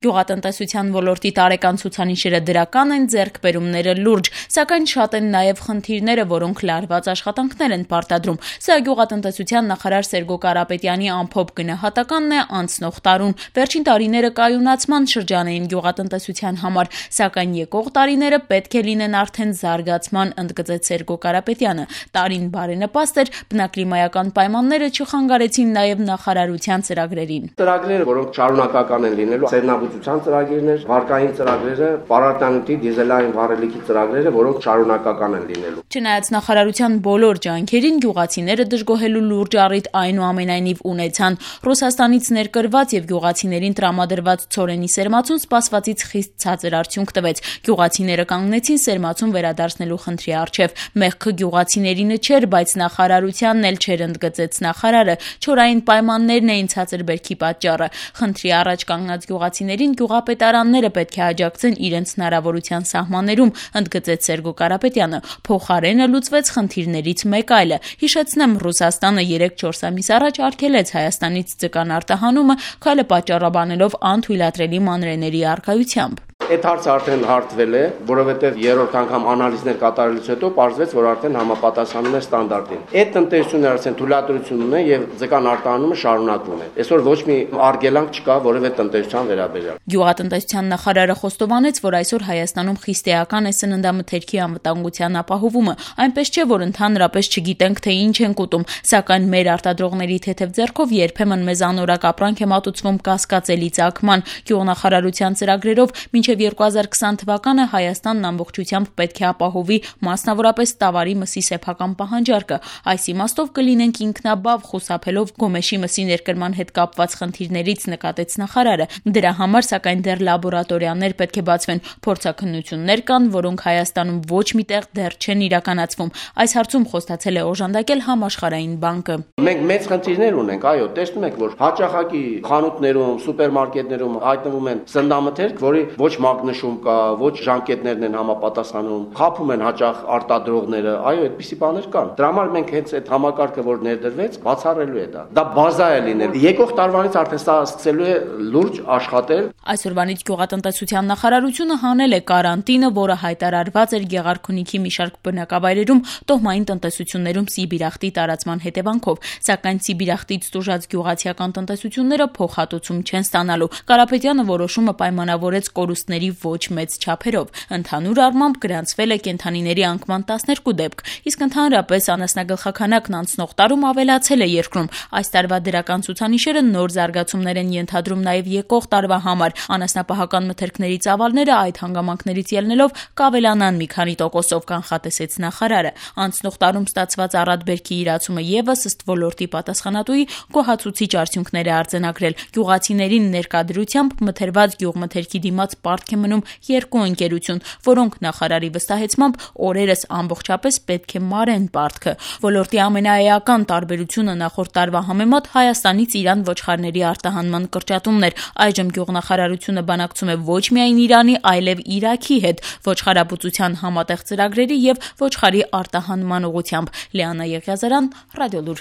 Գյուղատնտեսության ոլորտի տարեկան ցուցանիշերը դրական են, ձեռքբերումները լուրջ, սակայն շատ են նաև խնդիրները, որոնք լարված աշխատանքներ են պարտադրում։ Սա գյուղատնտեսության նախարար Սերգո Կարապետյանի ամփոփ գնահատականն է անցնող տարուն։ Վերջին տարիները կայունացման շրջան էին գյուղատնտեսության համար, սակայն եկող տարիները պետք է լինեն արդեն զարգացման, ընդգծեց Սերգո Կարապետյանը։ Տարին բարենպաստ էր, բնակլիմայական պայմանները չխանգարեցին նաև նախարարության ծրագրերին։ Ծրագրերը, որոնք շարունակական են լինելու, ծրագիրներ, վարկային ծրագրերը, պարարտանյութի, դիզելային վառելիքի ծրագրերը, որոնք շարունակական են լինելու։ Չնայած նախարարության բոլոր ջանքերին, գյուղացիները դժգոհելու լուրջ առիթ այնուամենայնիվ ունեցան։ Ռուսաստանից ներկրված եւ գյուղացիներին տրամադրված ցորենի սերմացուն սպասվածից խիստ ցածր արդյունք տվեց։ Գյուղացիները կանգնեցին սերմացուն վերադարձնելու խնդրի առջև։ Մեղքը գյուղացիներինը չէր, բայց նախարարությանն էլ չէր, ընդգծեց նախարարը։ Չորային պայմաններն էին ցածր բերքի պատճառը։ Խնդրի առաջ կանգնած գյուղացիներին գյուղապետարանները պետք է աջակցեն իրենց հնարավորության սահմաններում, ընդգծեց Սերգո Կարապետյանը։ Փոխարենը լուծվեց խնդիրներից մեկ այլը։ Հիշեցնեմ, Ռուսաստանը 3-4 ամիս առաջ արգելեց Հայաստանից ձկան արտահանումը, քայլը պատճառաբանելով անթույլատրելի մանրէների առկայությամբ։ Այդ հարցը արդեն հարթվել է, որովհետև երրորդ անգամ անալիզներ կատարելուց հետո պարզվեց, որ արդեն համապատասխանում է ստանդարտին։ Այդ տնտեսությունները արդեն թույլատրություն ունեն եւ ձկան արտահանումը շարունակվում է։ Այսօր ոչ մի արգելանք չկա որևէ տնտեսության վերաբերյալ։ Գյուղատնտեսության նախարարը խոստովանեց, որ այսօր Հայաստանում խիստ էական է սննդամթերքի անվտանգության ապահովումը, այնպես չէ, որ ընդհանրապես չգիտենք, թե ինչ ենք ուտում, սակայն մեր արտադրողների թեթև ձեռքով երբեմն մեզ անորակ ապրանք է մատուցվում կասկածելի ծագման։ Գյուղնախարարության ծրագրերով մինչև 2020 թվականը Հայաստանն ամբողջությամբ պետք է ապահովի մասնավորապես տավարի մսի սեփական պահանջարկը։ Այս իմաստով կլինենք ինքնաբավ, խուսափելով գոմեշի մսի ներկրման հետ կապված խնդիրներից, նկատեց նախարարը։ Դրա համար սակայն դեռ լաբորատորիաներ պետք է բացվեն։ Փորձաքննություններ կան, որոնք Հայաստանում ոչ միտեղ դեռ չեն իրականացվում։ Այս հարցում խոստացել է օժանդակել Համաշխարհային բանկը։ Մենք մեծ խնդիրներ ունենք, այո, տեսնում եք, որ հաճախակի խանութներում, սուպերմարկետներում հայտնվում են սննդամթերք, որի ոչ մագնիշում կա, ոչ ժամկետներն են համապատասխանում, խաբում են հաճախ արտադրողները, այո, այդպիսի բաներ կան։ Դրա համար մենք հենց այդ համակարգը, որ ներդրվեց, բացառելու է դա։ Դա բազա է լինել։ Եկող տարվանից արդեն սա սկսելու է լուրջ աշխատել։ Այսօրվանից գյուղատնտեսության նախարարությունը հանել է կարանտինը, որը հայտարարված էր Գեղարքունիքի մի շարք բնակավայրերում տոհմային տնտեսություններում սիբիրախտի տարածման հետևանքով, սակայն սիբիրախտից տուժած գյուղացիական տնտեսությունները փոխհատուցում չեն ստանալու։ Կարապետյանը որոշումը պայմանավորեց կորուստների ոչ մեծ չափերով։ Ընդհանուր առմամբ գրանցվել է կենդանիների անկման 12 դեպք, իսկ ընդհանրապես անասնագլխաքանակն անցնող տարում ավելացել է երկրում։ Այս տարվա դրական ցուցանիշերը նոր զարգացումներ են ենթադրում նաև եկող տարվա համար։ Անասնապահական մթերքների ծավալները այդ հանգամանքներից ելնելով կավելանան մի քանի տոկոսով, կանխատեսեց նախարարը։ Անցնող տարում ստացված առատբերքի իրացումը եւս ըստ ոլորտի պատասխանատուի գոհացուցիչ արդյունքներ է արձանագրել։ Գյուղացիներին ներկայությամբ մթերված գյուղմթերքի դիմաց պարտք է մնում 2 ընկերություն, որոնք նախարարի վստահեցմամբ օրերս ամբողջապես պետք է մարեն պարտքը։ Ոլորտի ամենաէական տարբերությունը նախորդ տարվա համեմատ Հայաստանից Իրան ոչխարների արտահանման կրճատումն էր։ Այժմ գյուղնախարարությունը բանակցում է ոչ միայն Իրանի, այլև Իրաքի հետ ոչխարաբուծության համատեղ ծրագրերի եւ ոչխարի արտահանման ուղղությամբ։ Լիանա Եղիազարյան, Ռադիոլուր։